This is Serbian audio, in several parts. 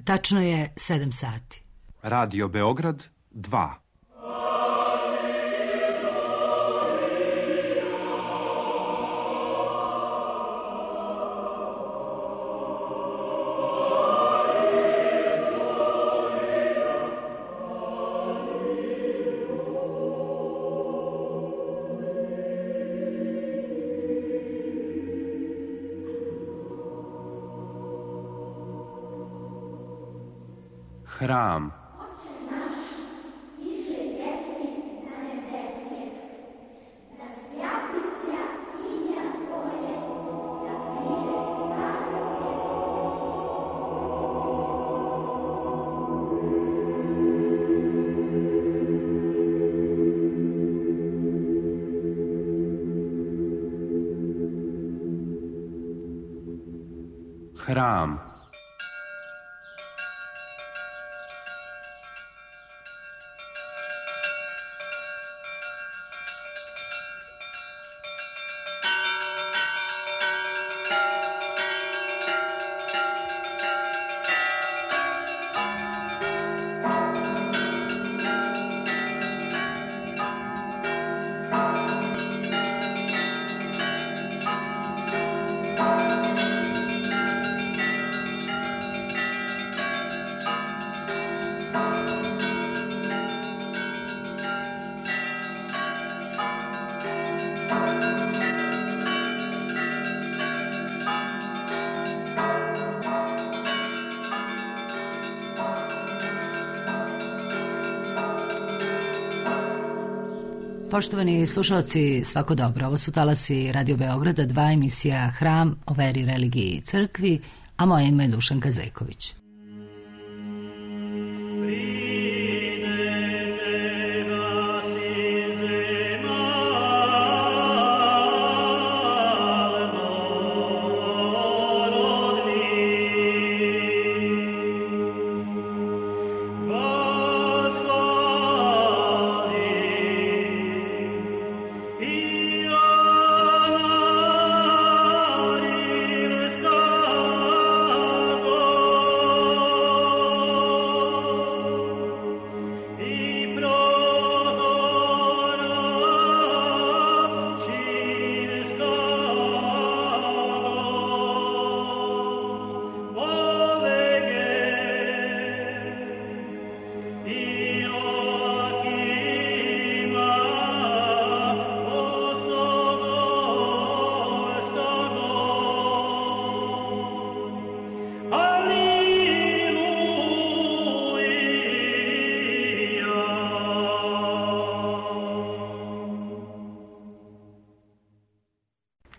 Tačno je 7 sati. Radio Beograd 2. Hram. Hram. Poštovani slušalci, svako dobro. Ovo su talasi Radio Beograda 2, emisija Hram o veri, religiji i crkvi, a moje ime je Dušanka Zejković.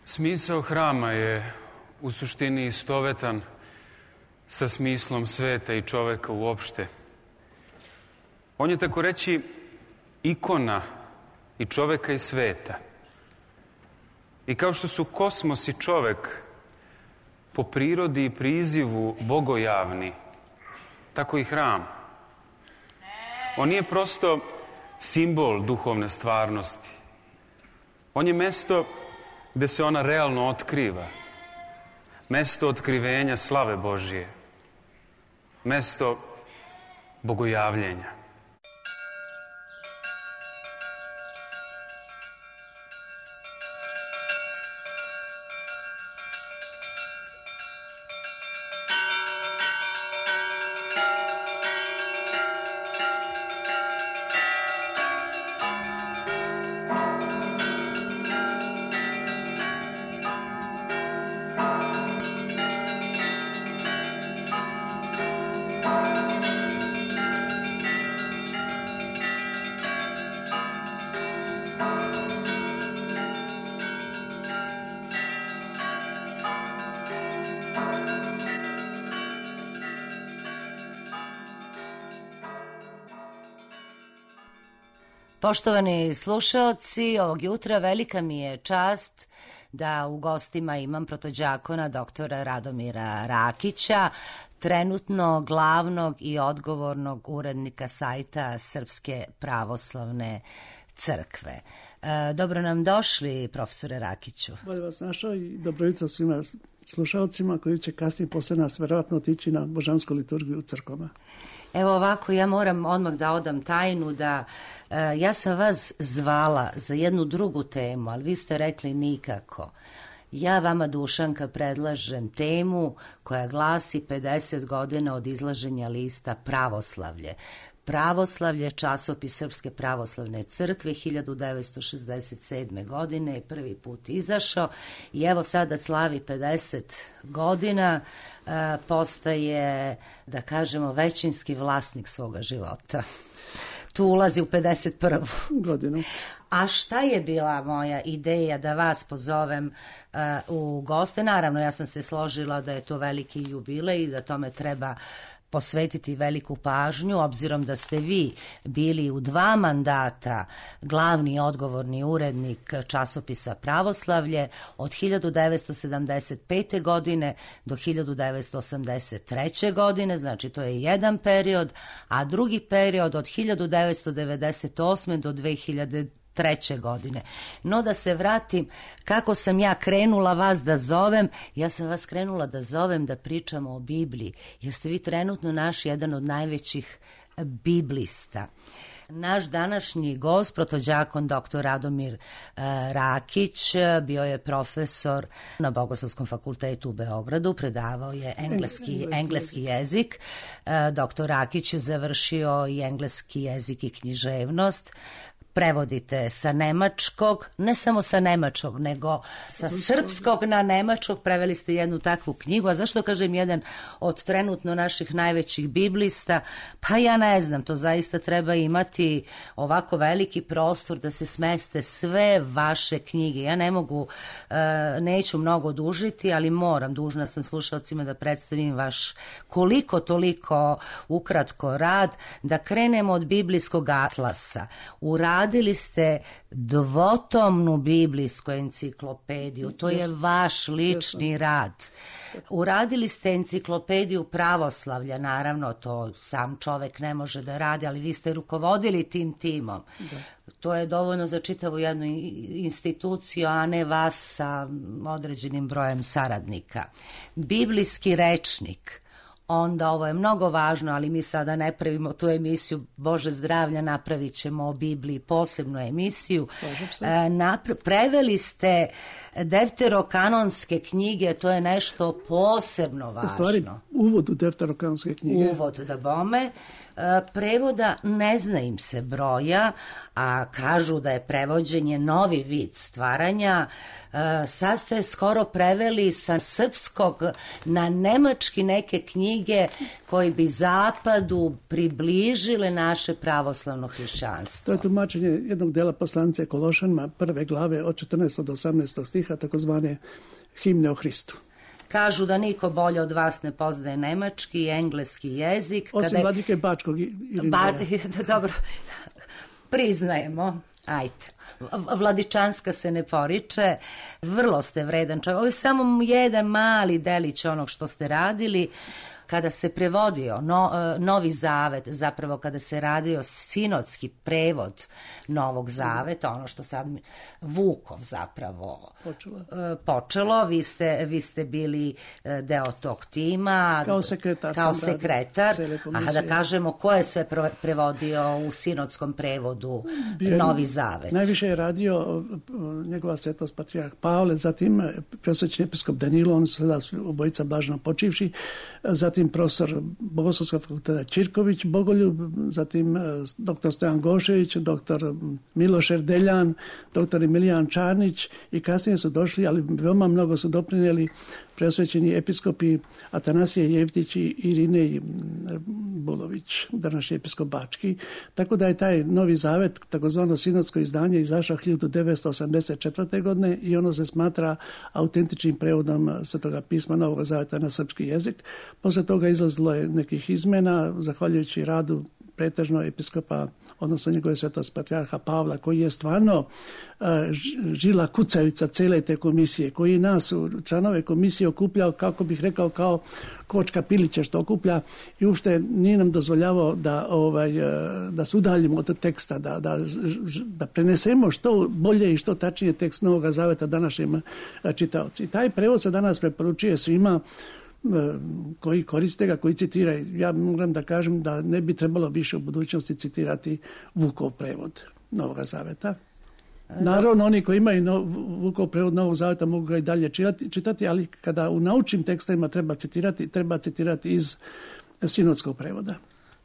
Smisao hrama je u suštini istovetan sa smislom sveta i čoveka uopšte. On je tako reći ikona i čoveka i sveta. I kao što su kosmos i čovek po prirodi i prizivu bogojavni, tako i hram. On nije prosto simbol duhovne stvarnosti. On je mesto gde se ona realno otkriva. Mesto otkrivenja slave Božije. Mesto bogojavljenja. Poštovani slušaoci, ovog jutra velika mi je čast da u gostima imam protođakona doktora Radomira Rakića, trenutno glavnog i odgovornog urednika sajta Srpske pravoslavne crkve. Dobro nam došli, profesore Rakiću. Bolje vas našao i dobro jutro svima slušalcima koji će kasnije posle nas verovatno otići na božansku liturgiju u crkvama. Evo ovako, ja moram odmah da odam tajnu da ja sam vas zvala za jednu drugu temu, ali vi ste rekli nikako. Ja vama, Dušanka, predlažem temu koja glasi 50 godina od izlaženja lista Pravoslavlje. Pravoslavlje, časopis Srpske pravoslavne crkve, 1967. godine je prvi put izašao i evo sada slavi 50 godina, postaje, da kažemo, većinski vlasnik svoga života. Tu ulazi u 51. godinu. A šta je bila moja ideja da vas pozovem u goste? Naravno, ja sam se složila da je to veliki jubilej i da tome treba posvetiti veliku pažnju, obzirom da ste vi bili u 2 mandata glavni i odgovorni urednik časopisa Pravoslavlje od 1975. godine do 1983. godine, znači to je jedan period, a drugi period od 1998. do 2003. godine. No da se vratim, kako sam ja krenula vas da zovem, ja sam vas krenula da zovem da pričamo o Bibliji, jer ste vi trenutno naš jedan od najvećih biblista. Naš današnji gost, protođakon dr. Radomir Rakić, bio je profesor na Bogoslovskom fakultetu u Beogradu, predavao je engleski jezik. Dr. Rakić je završio i engleski jezik i književnost. Prevodite sa nemačkog, ne samo sa nemačkog, nego sa srpskog na nemačkog, preveli ste jednu takvu knjigu. A zašto kažem jedan od trenutno naših najvećih biblista? Pa ja ne znam, to zaista treba imati ovako veliki prostor da se smeste sve vaše knjige. Ja ne mogu, neću mnogo dužiti, ali moram, dužna sam slušalcima da predstavim vaš koliko toliko ukratko rad, da krenemo od biblijskog atlasa. Uradili ste dvotomnu biblijsku enciklopediju, to je vaš lični rad. Uradili ste enciklopediju pravoslavlja, naravno to sam čovek ne može da radi, ali vi ste rukovodili tim timom. Da. To je dovoljno za čitavu jednu instituciju, a ne vas sa određenim brojem saradnika. Biblijski rečnik. Onda ovo je mnogo važno, ali mi sada ne pravimo tu emisiju Bože zdravlja, napravit ćemo o Bibliji posebnu emisiju. Preveli ste defterokanonske knjige, to je nešto posebno važno. U stvari, uvod u defterokanonske knjige. Uvod, da bome. Prevoda ne zna im se broja, a kažu da je prevođenje novi vid stvaranja. Sad ste skoro preveli sa srpskog na nemački neke knjige koji bi zapadu približile naše pravoslavno hrišćanstvo. To je tumačenje jednog dela poslanice Kološanima, 1. glave od 14. do 18. stiha, takozvane himne o Hristu. Kažu da niko bolje od vas ne poznaje nemački i engleski jezik. Osim vladike Bačkog Dobro, priznajemo. Ajde. Vladičanska se ne poriče. Vrlo ste vredan čovjek. Ovo je samo jedan mali delić onog što ste radili. Kada se prevodio Novi Zavet, zapravo kada se radio sinodski prevod Novog Zaveta, ono što sad Vukov zapravo počelo, vi ste bili deo tog tima. Kao sekretar. A da kažemo, ko je sve prevodio u sinodskom prevodu Novi Zavet? Najviše je radio njegova svetost patrijarh Pavle, zatim presvećeni episkop Danilo, on su sada obojica blažno počivši, zatim profesor Bogoslovskog fakulteta Čirković Bogoljub, zatim dr. Stojan Gošević, dr. Miloš Erdeljan, dr. Emilijan Čarnić i kasnije su došli, ali veoma mnogo su doprinijeli presvećeni episkopi Atanasije Jevtić i Irinej Bulović, današnji episkop Bački. Tako da je taj Novi Zavet, takozvano sinodsko izdanje, izašao 1984. godine i ono se smatra autentičnim prevodom Svetoga pisma Novog Zaveta na srpski jezik. Posle toga izlazilo je nekih izmena, zahvaljujući radu pretežno episkopa odnosno njegove svetost patrijarha Pavla, koji je stvarno žila kucavica cele te komisije, koji nas, članove komisije, okupljao, kako bih rekao, kao kočka pilića što okuplja i uopšte nije nam dozvoljavao da se udaljimo od teksta, da prenesemo što bolje i što tačnije tekst Novog Zaveta današnjim čitaocima. I taj prevod se danas preporučuje svima koji koriste ga, koji citiraju. Ja moram da kažem da ne bi trebalo više u budućnosti citirati Vukov prevod Novog Zaveta. Naravno, oni koji imaju Vukov prevod Novog Zaveta mogu ga i dalje čitati, ali kada u naučnim tekstovima treba citirati iz sinodskog prevoda.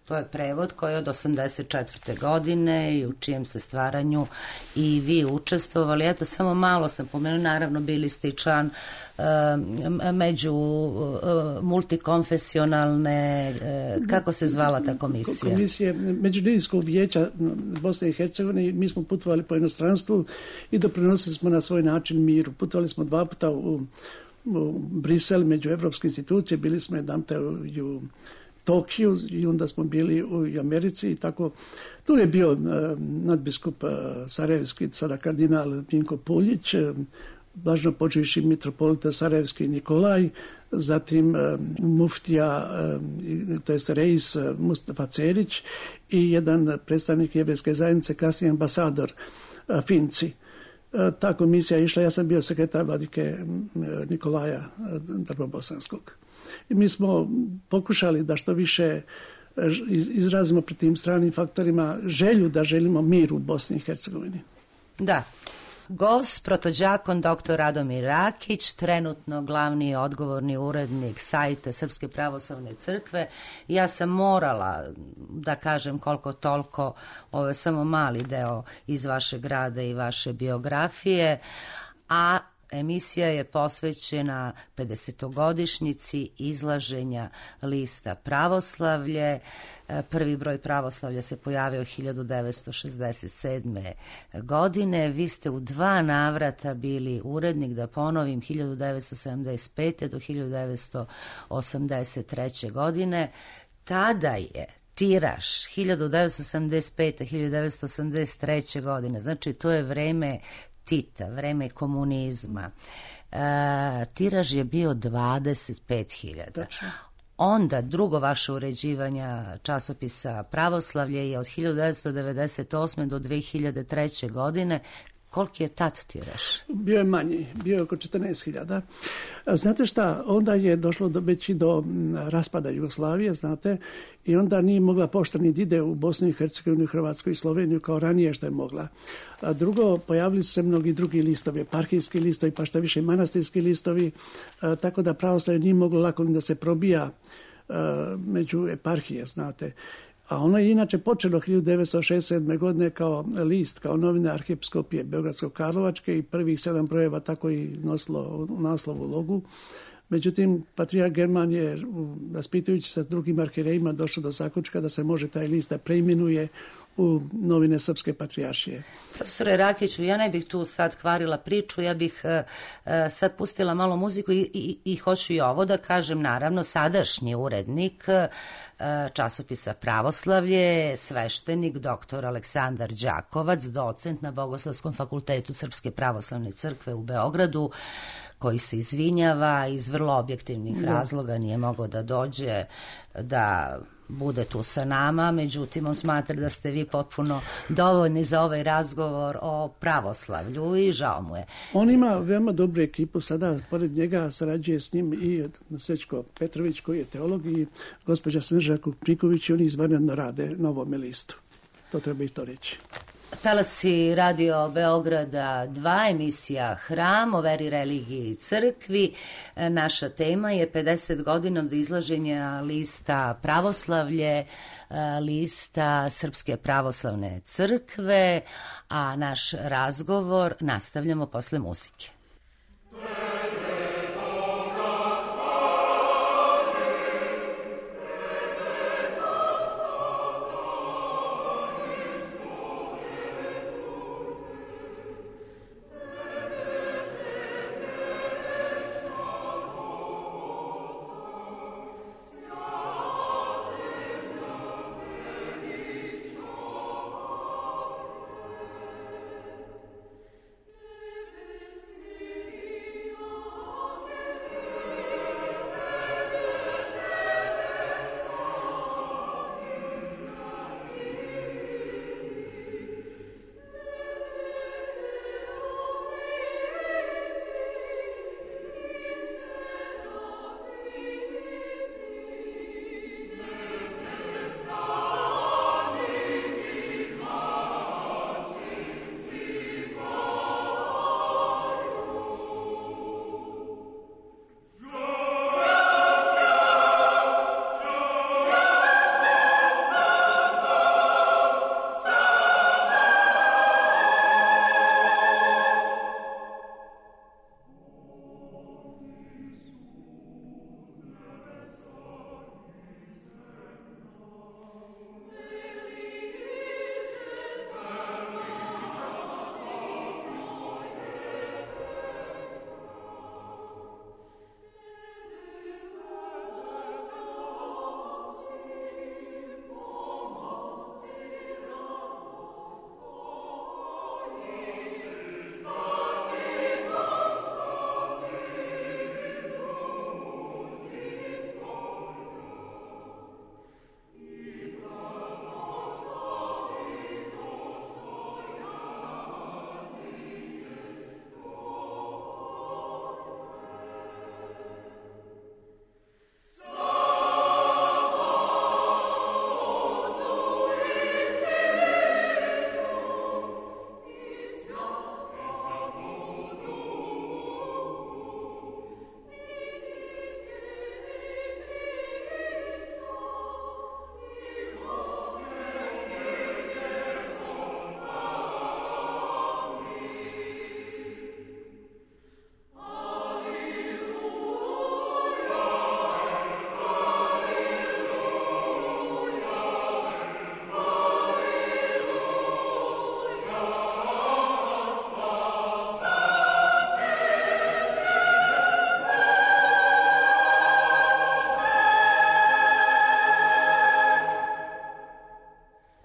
To je prevod koji je od 84. godine i u čijem se stvaranju i vi učestvovali. Eto, samo malo sam pomenula, naravno bili ste i član među multikonfesionalne, kako se zvala ta komisija? Komisije Međudinskog vijeća Bosne i Hercegovine. Mi smo putovali po inostranstvu i doprinosili smo na svoj način miru. Putovali smo 2 puta u Brisel, među evropske institucije, bili smo jedanput u Tokiju i onda smo bili u Americi i tako. Tu je bio nadbiskup sarajevski, sada kardinal Vinko Puljić, blažno počivši mitropolita sarajevski Nikolaj, zatim muftija, to jest reis Mustafa Cerić i jedan predstavnik jevrejske zajednice, kasnije ambasador Finci. Ta komisija je išla, ja sam bio sekretar vladike Nikolaja Drbobosanskog. I mi smo pokušali da što više izrazimo pred tim stranim faktorima želju da želimo mir u Bosni i Hercegovini. Da. Gost, protođakon dr. Radomir Rakić, trenutno glavni odgovorni urednik sajta Srpske pravoslavne crkve. Ja sam morala da kažem koliko toliko, ovo je samo mali deo iz vašeg rada i vaše biografije, a emisija je posvećena 50-godišnjici izlaženja lista Pravoslavlje. Prvi broj Pravoslavlja se pojavio 1967. godine. Vi ste u 2 navrata bili urednik, da ponovim, 1975. do 1983. godine. Tada je tiraž 1975. 1983. godine, znači to je vreme Tita, vreme komunizma. Tiraž je bio 25.000. Onda drugo vaše uređivanja časopisa Pravoslavlje je od 1998. do 2003. godine. Koliki je tad tiraž? Bio je manji, bio je oko 14.000. Znate šta, onda je došlo već i do raspada Jugoslavije, znate, i onda nije mogla pošta ni da ide u Bosnu i Hercegovinu, Hrvatsku i Sloveniju kao ranije što je mogla. A drugo, pojavili su se mnogi drugi listovi, eparhijski listovi, pa šta više manastirski listovi, tako da pravoslavlje nije moglo lako ni da se probija među eparhije, znate. A ono je inače počelo 1967. godine kao list, kao novine arhiepiskopije Beogradsko-Karlovačke i prvih 7 brojeva tako i nosilo naslovu logu. Međutim, patrijarh German je, raspitujući se s drugim arhirejima, došao do zaključka da se može taj list da preimenuje u novine Srpske patrijaršije. Profesore Rakiću, ja ne bih tu sad kvarila priču, ja bih sad pustila malo muziku i hoću i ovo da kažem, naravno, sadašnji urednik časopisa Pravoslavlje, sveštenik dr. Aleksandar Đakovac, docent na Bogoslovskom fakultetu Srpske pravoslavne crkve u Beogradu, koji se izvinjava iz vrlo objektivnih razloga, nije mogao da dođe, da bude tu sa nama, međutim on smatra da ste vi potpuno dovoljni za ovaj razgovor o pravoslavlju i žao mu je. On ima veoma dobru ekipu, sada pored njega sarađuje s njim i Sečko Petrović koji je teolog i gospođa Snežana Kupniković i oni izvanredno rade na ovome listu. To treba isto reći. Talasi Radio Beograda 2, emisija Hram o veri, religiji i crkvi. Naša tema je 50 godina od izlaženja lista Pravoslavlje, lista Srpske pravoslavne crkve, a naš razgovor nastavljamo posle muzike.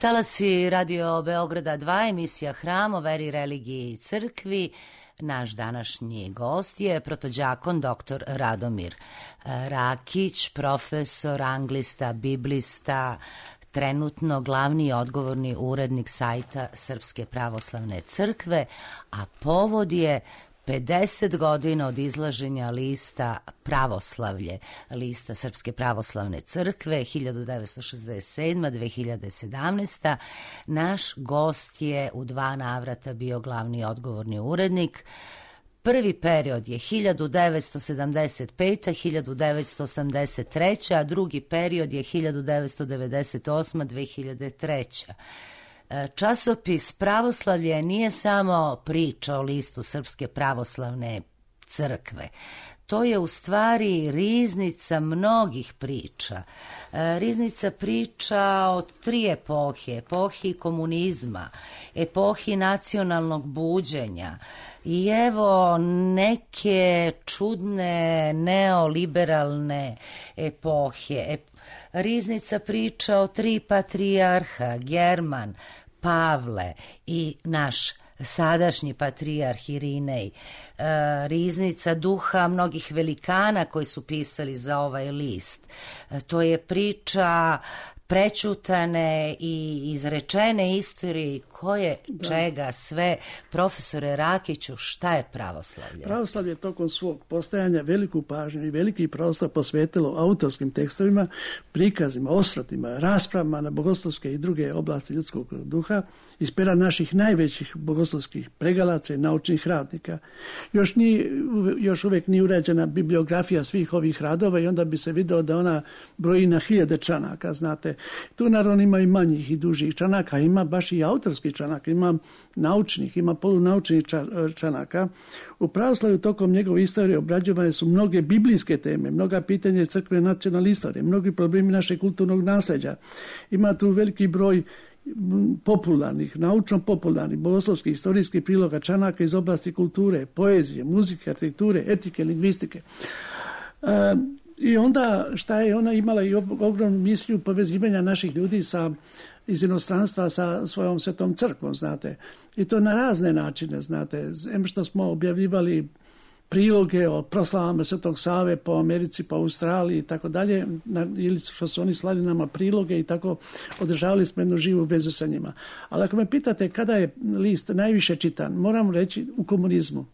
Talasi Radio Beograda 2, emisija Hram o veri, religiji i crkvi. Naš današnji gost je protođakon dr. Radomir Rakić, profesor, anglista, biblista, trenutno glavni i odgovorni urednik sajta Srpske pravoslavne crkve, a povod je 50 godina od izlaženja lista Pravoslavlje, lista Srpske pravoslavne crkve, 1967-2017. Naš gost je u 2 navrata bio glavni i odgovorni urednik. Prvi period je 1975-1983, a drugi period je 1998-2003. Časopis Pravoslavlje nije samo priča o listu Srpske pravoslavne crkve. To je u stvari riznica mnogih priča. Riznica priča od 3 epohe. Epohi komunizma, epohi nacionalnog buđenja i evo neke čudne neoliberalne epohe. Riznica priča o 3 patrijarha, German, Pavle i naš sadašnji patrijarh Irinej. Riznica duha mnogih velikana koji su pisali za ovaj list. To je priča prećutane i izrečene istorije koje čega sve. Profesore Rakiću, šta je pravoslavlje? Pravoslavlje tokom svog postojanja veliku pažnju i veliki prostor posvetilo autorskim tekstovima, prikazima, osvrtima, raspravama na bogoslovske i druge oblasti ljudskog duha iz pera naših najvećih bogoslovskih pregalaca i naučnih radnika. Još uvijek nije urađena bibliografija svih ovih radova i onda bi se video da ona broji na 1000 članaka, znate. Tu naravno ima i manjih i dužih članaka, ima baš i autorskih članaka, ima naučnih, ima polunaučnih članaka. U pravoslavlju tokom njegove istorije obrađivane su mnoge biblijske teme, mnoga pitanja crkve nacionalne istorije, mnogi problemi našeg kulturnog nasljeđa. Ima tu veliki broj popularnih, naučno popularnih, bogoslovskih, istorijskih priloga, članaka iz oblasti kulture, poezije, muzike, arhitekture, etike, lingvistike. I onda šta je ona imala i ogromnu misiju povezivanja naših ljudi iz inostranstva sa svojom svetom crkvom, znate. I to na razne načine, znate. Što smo objavljivali priloge o proslavama Svetog Save po Americi, po Australiji i tako dalje, ili što su oni slali nama priloge i tako održavali smo jednu živu vezu sa njima. Ali ako me pitate kada je list najviše čitan, moram reći u komunizmu.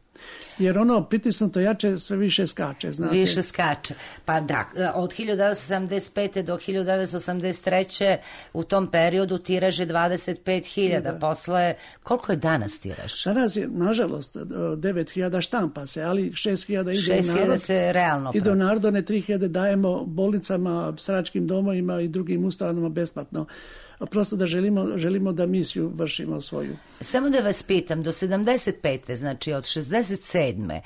Jer ono pritisnuto jače sve više skače, znate. Više skače. Pa da, od 1975. do 1983. u tom periodu tiraž je 25.000. Posle, koliko je danas tiraž? Danas je, nažalost, 9.000 štampa se, ali 6.000 ide u narod. 6.000 se realno ide u narod, 3.000 dajemo bolnicama, staračkim domovima i drugim ustanovama besplatno. Prosto da želimo da misiju vršimo svoju. Samo da vas pitam, do 75. znači od 67.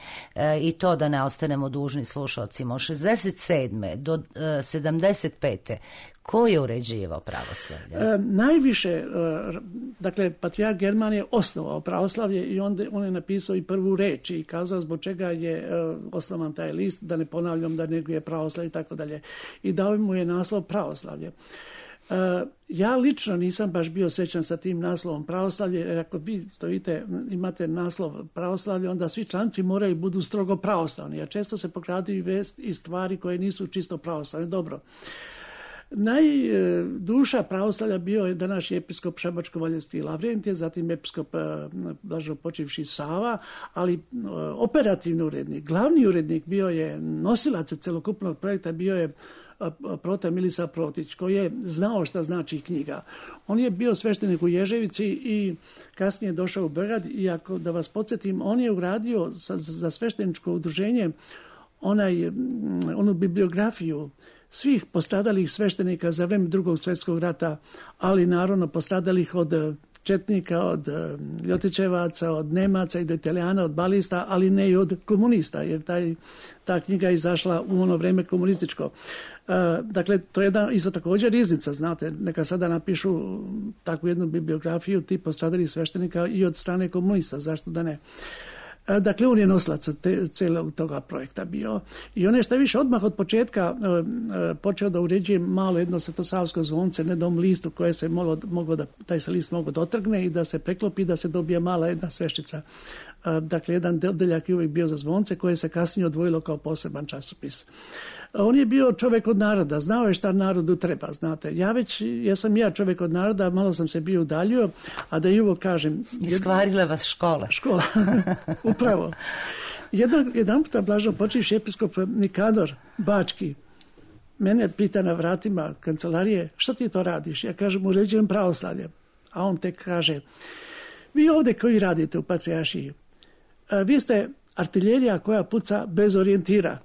I to da ne ostanemo dužni slušalcima, od 67. do 75. ko je uređivao pravoslavlje? Najviše, dakle, patrijarh German je osnovao pravoslavlje i on je napisao i prvu reč i kazao zbog čega je osnovan taj list, da ne ponavljam da neguje pravoslavlje i tako dalje. I dao mu je naslov pravoslavlje. Ja lično nisam baš bio srećan sa tim naslovom pravoslavlje, jer ako vi imate naslov pravoslavlje, onda svi članci moraju budu strogo pravoslavni, a često se pokraduju vest i stvari koje nisu čisto pravoslavne. Dobro. Najduša pravoslavlja bio je današnji episkop Šabačko-Valjevski Lavrentije, zatim episkop blaženopočivši Sava, ali operativni urednik, glavni urednik bio je nosilac celokupnog projekta, bio je Prote Milisa Protić, koji je znao šta znači knjiga. On je bio sveštenik u Ježevici i kasnije došao u Beograd i ako da vas podsjetim, on je uradio za svešteničko udruženje onu bibliografiju svih postradalih sveštenika za vreme Drugog svjetskog rata, ali naravno postradalih od četnika, od ljotićevaca, od Nemaca i do Italijana, od balista, ali ne i od komunista, jer ta knjiga je izašla u ono vreme komunističko. Dakle, to je isto također riznica, znate, neka sada napišu takvu jednu bibliografiju tip postradalih sveštenika i od strane komunista, zašto da ne. Dakle, on je nosilac cijelog toga projekta bio. I on je što više odmah od početka počeo da uređuje malo jedno svetosavsko zvonce na jednom listu koje se moglo da, taj se list mogo dotrgne i da se preklopi, da se dobije mala jedna sveščica. Dakle, jedan odeljak je uvijek bio za zvonce koje se kasnije odvojilo kao poseban časopis. On je bio čovjek od naroda, znao je šta narodu treba, znate. Ja sam čovjek od naroda, malo sam se bio udaljio, a da i ovo kažem... Iskvarila vas škola. Škola, upravo. Jedan puta blažno počivši episkop Nikador Bački, mene pita na vratima kancelarije, šta ti to radiš? Ja kažem, uređujem pravoslavlje. A on tek kaže, vi ovdje koji radite u Patrijaršiji, vi ste artiljerija koja puca bez orijentira.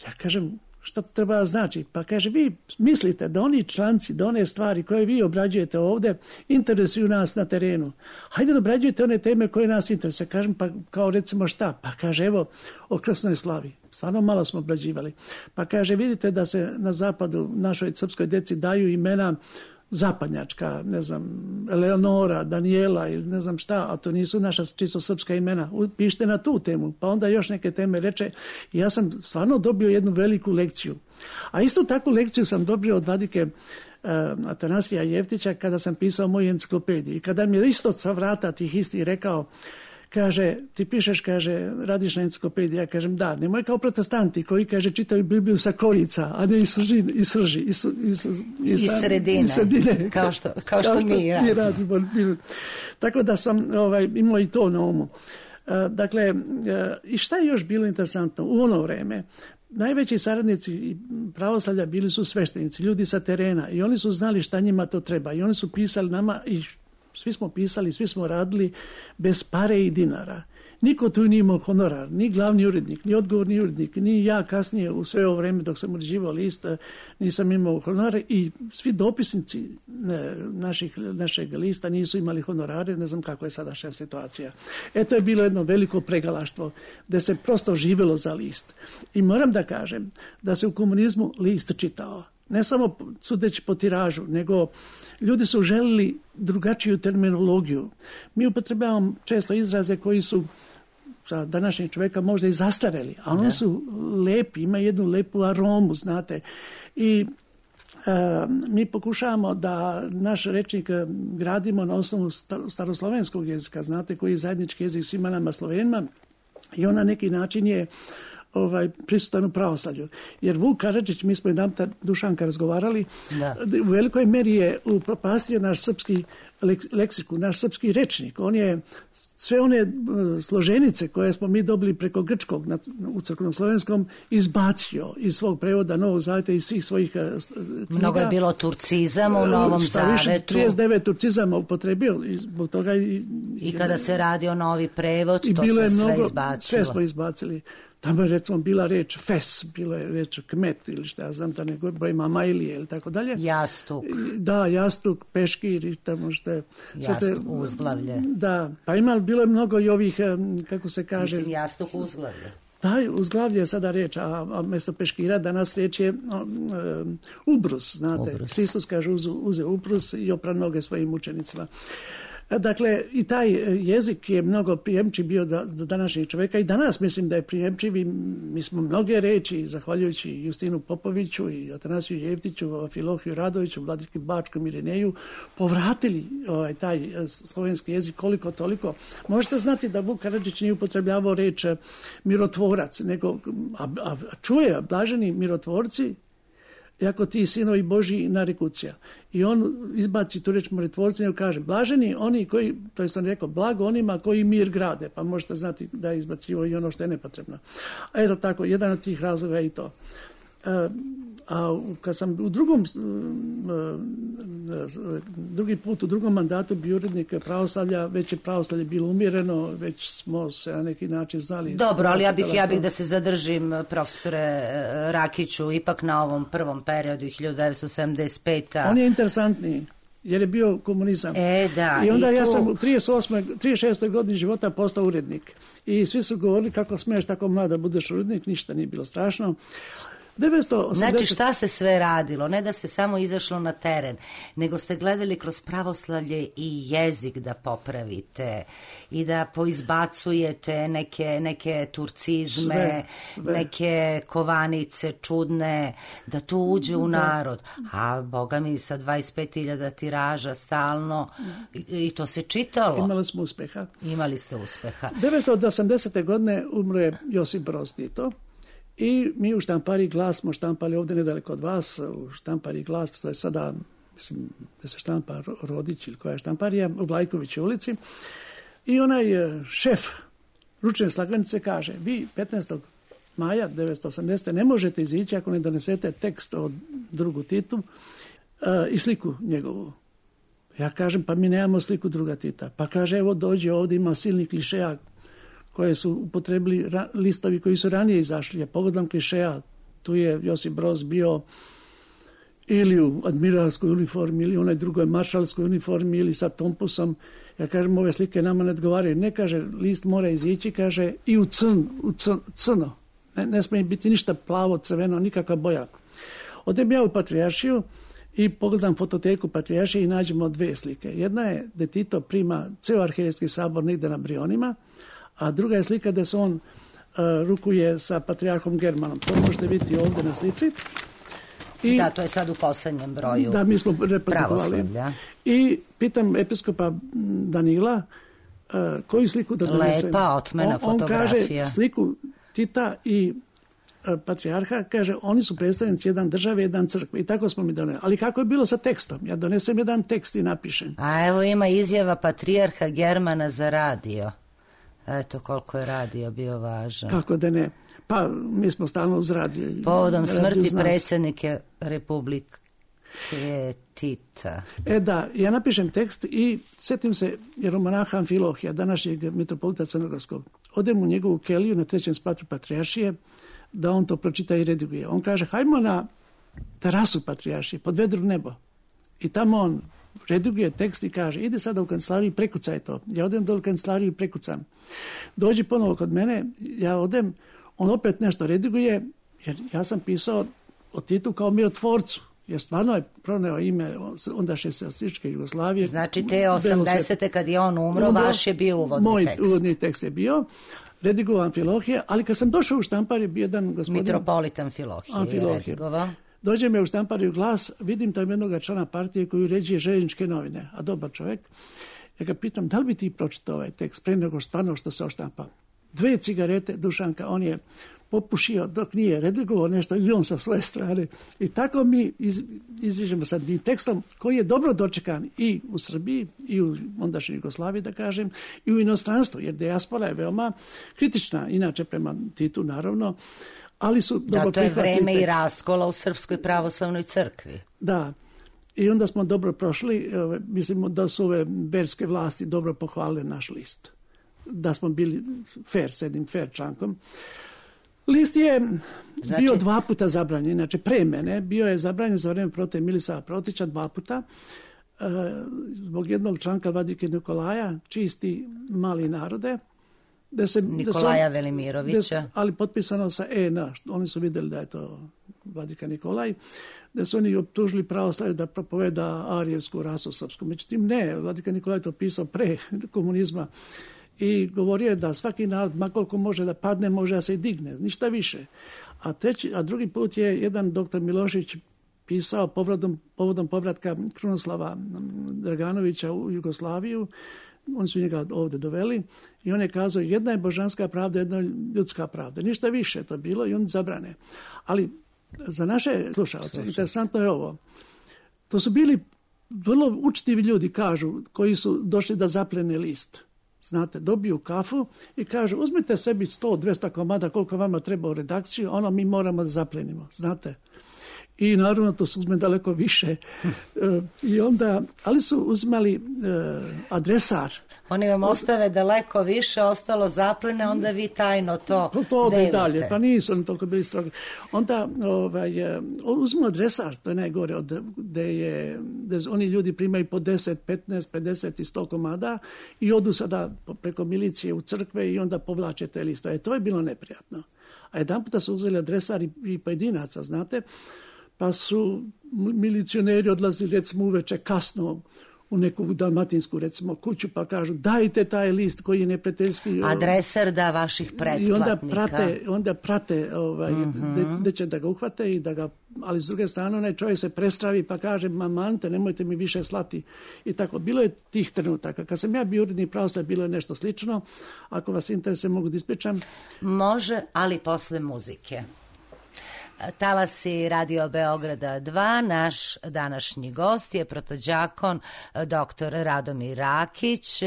Ja kažem, šta to treba znači? Pa kaže, vi mislite da oni članci, da one stvari koje vi obrađujete ovdje interesuju nas na terenu. Hajde da obrađujete one teme koje nas interesuje. Kažem, pa kao recimo šta? Pa kaže, evo, o krsnoj slavi. Stvarno malo smo obrađivali. Pa kaže, vidite da se na zapadu našoj srpskoj deci daju imena zapadnjačka, ne znam, Eleonora, Daniela ili ne znam šta, a to nisu naša čisto srpska imena. Pišite na tu temu, pa onda još neke teme reče. I ja sam stvarno dobio jednu veliku lekciju. A istu takvu lekciju sam dobio od vladike Atanasija Jeftića kada sam pisao moju enciklopediju. I kada mi je isto sa vrata tih isti rekao, kaže, ti pišeš, kaže, radiš na enciklopediji. Ja kažem, da, nemoj kao protestanti koji, kaže, čitaju Bibliju sa korica, a ne i srži. I sredine. Kao što mi radimo. Tako da sam imao i to na umu. Dakle, i šta je još bilo interesantno? U ono vreme, najveći saradnici pravoslavlja bili su sveštenici, ljudi sa terena i oni su znali šta njima to treba i oni su pisali nama i svi smo pisali, svi smo radili bez pare i dinara. Niko tu nije imao honorar, ni glavni urednik, ni odgovorni urednik, ni ja kasnije u sve ovo vreme dok sam uređivao list nisam imao honorare i svi dopisnici našeg lista nisu imali honorare, ne znam kako je sadašnja situacija. To je bilo jedno veliko pregalaštvo gdje se prosto živjelo za list. I moram da kažem da se u komunizmu list čitao. Ne samo sudeći po tiražu, nego ljudi su želili drugačiju terminologiju. Mi upotrebljavamo često izraze koji su za današnjeg čovjeka možda i zastareli, a oni su lepi, imaju jednu lepu aromu, znate. I mi pokušavamo da naš rečnik gradimo na osnovu staroslovenskog jezika, znate, koji je zajednički jezik svima nama Slovenima i on na neki način je prisutan u pravoslavlju. Jer Vuk Karadžić, mi smo jedan Dušanka razgovarali, u velikoj meri je upropastio naš srpski leksiku, naš srpski rečnik. On je sve one složenice koje smo mi dobili preko grčkog u crkvenom slovenskom izbacio iz svog prevoda Novog zaveta i svih svojih knjiga. Mnogo je bilo turcizama u Novom zavetu. 39 turcizama upotrebio i zbog toga i kada se radi o novi prevod, to se sve izbacilo. Sve smo izbacili. Tamo je recimo bila reč fes, bila je reč kmet ili šta ja znam, da ne govorim mamajlije ili tako dalje. Jastuk. Da, jastuk, peškir i tamo što je. Jastuk, uzglavlje. Da, pa bilo je mnogo i ovih, kako se kaže. Mislim, jastuk, uzglavlje. Da, uzglavlje je sada reč, a mjesto peškira danas reč je ubrus, znate. Ubrus. Hristos kaže uze ubrus i opra noge svojim učenicima. Dakle, i taj jezik je mnogo prijemčiv bio do današnjeg čovjeka i danas mislim da je prijemčiv i mi smo mnoge reči, zahvaljujući Justinu Popoviću i Atanasiju Jeftiću, Filohiju Radoviću, Vladiki Bačkom Irineju, povratili taj slovenski jezik koliko toliko. Možete znati da Vuk Karadžić nije upotrebljavao reč mirotvorac, nego a čuje blaženi mirotvorci, jako ti sinovi Božji narekucija. I on izbaci tu reč mirotvorci i kaže, blaženi oni koji, to je on rekao, blago onima koji mir grade, pa možete znati da je izbacivo i ono što je nepotrebno. A eto tako, jedan od tih razloga je i to. A kad sam u drugi put u drugom mandatu bio urednik pravoslavlja, već je pravoslavlje bilo umjereno, već smo se na neki način znali. Dobro, ali ja bih da se zadržim, profesore Rakiću, ipak na ovom prvom periodu 1975. On je interesantniji. Jer je bio komunizam. Da, I onda ja sam u 36. godini života postao urednik. I svi su govorili kako smiješ tako mlada budeš urednik, ništa nije bilo strašno. Znači šta se sve radilo? Ne da se samo izašlo na teren, nego ste gledali kroz pravoslavlje i jezik da popravite i da poizbacujete neke turcizme, sve. Neke kovanice čudne, da to uđe u narod. A boga mi sa 25.000 tiraža stalno i to se čitalo. Imali smo uspeha. Imali ste uspeha. 1980. godine umro je Josip Broz Tito. I mi u Štampariji Glas smo štampali ovdje nedaleko od vas, u Štampariji Glas, to je sada, mislim, da se štampa Rodić ili koja je štamparija, u Vlajkovićoj ulici. I onaj šef ručne slagalice kaže, vi 15. maja 1980. ne možete izići ako ne donesete tekst od drugu Titu i sliku njegovu. Ja kažem, pa mi nemamo sliku druga Tita. Pa kaže, evo dođe ovdje, ima silnih klišeja koje su upotrebili listovi koji su ranije izašli. Ja pogledam klišeja, tu je Josip Broz bio ili u admiralskoj uniformi, ili u onoj drugoj maršalskoj uniformi, ili sa tompusom. Ja kažem, ove slike nama ne odgovaraju. Ne, kaže, list mora izići, kaže, i u crno. Ne smije biti ništa plavo, crveno, nikakva boja. Odem ja u Patrijaršiju i pogledam fototeku Patrijaršije i nađemo dve slike. Jedna je da Tito prima ceo arhijerejski sabor negde na Brionima, a druga je slika da se on rukuje sa patrijarhom Germanom. To možete vidjeti ovdje na slici. I, da, to je sad u posljednjem broju. Da, mi smo reprodukovali. I pitam episkopa Danila koju sliku da donese. Lepa, otmena fotografija. On kaže sliku Tita i patrijarha, kaže, oni su predstavnici jedan države, jedan crkve. I tako smo mi doneli. Ali kako je bilo sa tekstom? Ja donesem jedan tekst i napišem. A evo ima izjava patrijarha Germana za radio. Eto koliko je radio bio važan. Kako da ne? Pa mi smo stalno uz radio. Povodom smrti predsjednike Republike Tita. Da, ja napišem tekst i sjetim se jeromonaha Amfilohija, današnjeg mitropolita Crnogorskog. Odem u njegovu keliju na 3. spratu Patrijaršije da on to pročita i rediguje. On kaže, hajmo na terasu Patrijaršije, pod vedro nebo. I tamo on rediguje tekst i kaže, ide sada u kancelariju i prekucaj to. Ja odem do kancelariju i prekucam. Dođi ponovo kod mene, ja odem, on opet nešto rediguje, jer ja sam pisao o Titu kao mirotvorcu, jer stvarno je proneo ime ondašnje Socijalističke Jugoslavije. Znači te 80. kad je on umro, vaš je bio uvodni tekst. Moj uvodni tekst je bio, redigovao Amfilohije, ali kad sam došao u Štampariju, bio jedan gospodin... Mitropolit Amfilohije je redigovao. Dođe me u Štampariju Glas, vidim tam jednog člana partije koji uređuje željezničke novine, a dobar čovjek. Ja ga pitam, da li bi ti pročitao ovaj tekst pre nego stvarno što se oštampa? 2 cigarete, Dušanka, on je popušio dok nije redigovao nešto i on sa svoje strane. I tako mi iziđemo sa tim tekstom koji je dobro dočekan i u Srbiji i u ondašnjoj Jugoslaviji, da kažem, i u inostranstvu, jer dijaspora je veoma kritična, inače prema Titu, naravno, ali su dobro prihvatili tekst. Da, to je vreme i raskola u Srpskoj pravoslavnoj crkvi. Da. I onda smo dobro prošli, mislimo da su ove verske vlasti dobro pohvalile naš list. Da smo bili fair, s jednim fair člankom. List je bio 2 puta zabranjen, znači pre mene, bio je zabranjen za vreme protiv Milisava Protića 2 puta, zbog jednog članka Vladike Nikolaja, čisti mali narode, Nikolaja Velimirovića. Ali potpisano sa EN, oni su vidjeli da je to Vladika Nikolaj, da su oni optužili pravoslavlje da propoveda arijevsku rasu srpsku. Međutim, ne, Vladika Nikolaj to pisao pre komunizma i govorio je da svaki narod, makoliko može da padne, može da se i digne, ništa više. A drugi put je jedan doktor Milošević pisao povodom povratka Krunoslava Draganovića u Jugoslaviju. Oni su njega ovdje doveli i on je kazao, jedna je božanska pravda, jedna je ljudska pravda. Ništa više to bilo i on zabrane. Ali za naše slušalce, interesantno je ovo. To su bili vrlo učtivi ljudi, kažu, koji su došli da zaplene list. Znate, dobiju kafu i kažu, uzmite sebi 100-200 komada koliko vama treba u redakciju, ono mi moramo da zaplenimo, znate. I naravno to su uzme daleko više. I onda, ali su uzmali adresar. Oni vam ostave daleko više, ostalo zaplene, onda vi tajno to delite. Dalje, pa nisu oni toliko bili strogi. Onda uzmu adresar, to je najgore, gde oni ljudi primaju po 10, 15, 50 i 100 komada i odu sada preko milicije u crkve i onda povlače te liste. To je bilo neprijatno. A jedan puta su uzeli adresari i pojedinaca, znate, pa su milicioneri odlazili recimo uveče kasno u neku dalmatinsku recimo kuću pa kažu dajte taj list koji je neprijateljski. Adresar da vaših pretplatnika. I onda prate gdje će da ga uhvate i da ga, ali s druge strane onaj čovjek se prestravi pa kaže mamante nemojte mi više slati i tako. Bilo je tih trenutaka. Kad sam ja bio urednik Pravoslavlja bilo je nešto slično. Ako vas interesuje mogu da ispričam. Može, ali posle muzike. Talasi Radio Beograda 2, naš današnji gost je protođakon dr. Radomir Rakić,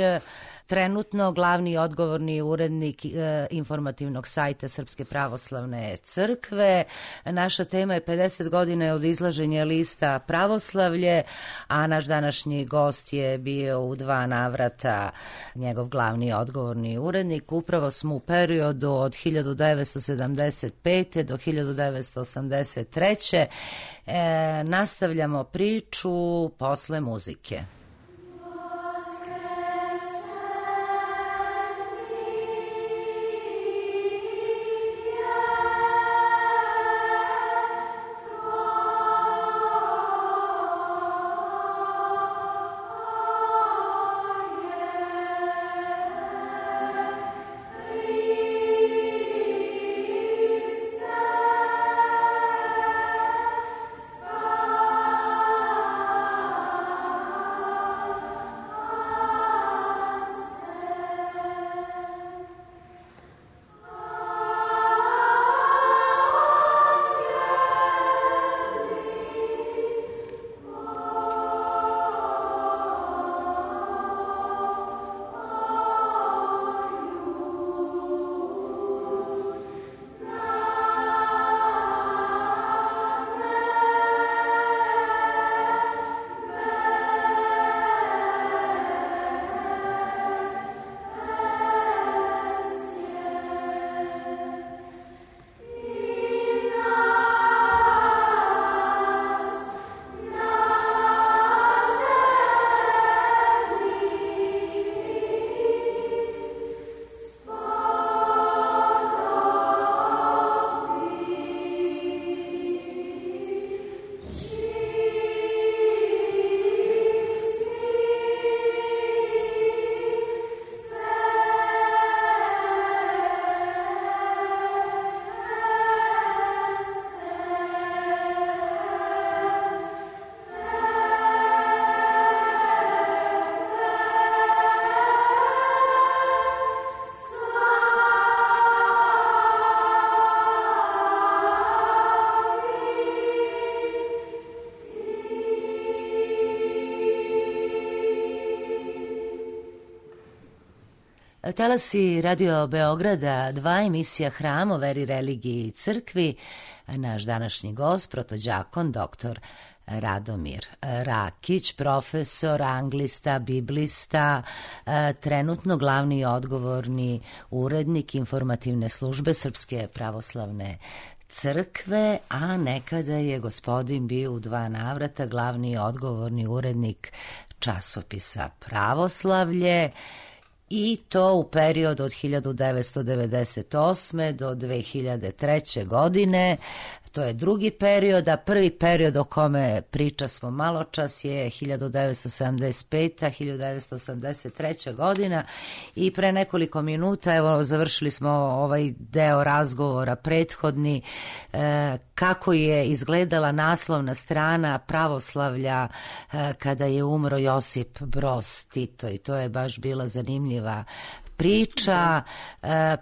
trenutno glavni i odgovorni urednik informativnog sajta Srpske pravoslavne crkve. Naša tema je 50 godina od izlaženja lista Pravoslavlje, a naš današnji gost je bio u 2 navrata njegov glavni i odgovorni urednik. Upravo smo u periodu od 1975. do 1983. Nastavljamo priču posle muzike. Talasi Radio Beograda 2, emisija Hram o veri, religiji i crkvi. Naš današnji gost, protođakon dr. Radomir Rakić, profesor, anglista, biblista, trenutno glavni i odgovorni urednik informativne službe Srpske pravoslavne crkve, a nekada je gospodin bio u 2 navrata glavni i odgovorni urednik časopisa Pravoslavlje, i to u periodu od 1998. do 2003. godine. To je drugi period, a prvi period o kome priča smo malo čas je 1975. 1983. godina i pre nekoliko minuta, evo, završili smo ovaj deo razgovora prethodni, kako je izgledala naslovna strana Pravoslavlja kada je umro Josip Broz Tito, i to je baš bila zanimljiva priča.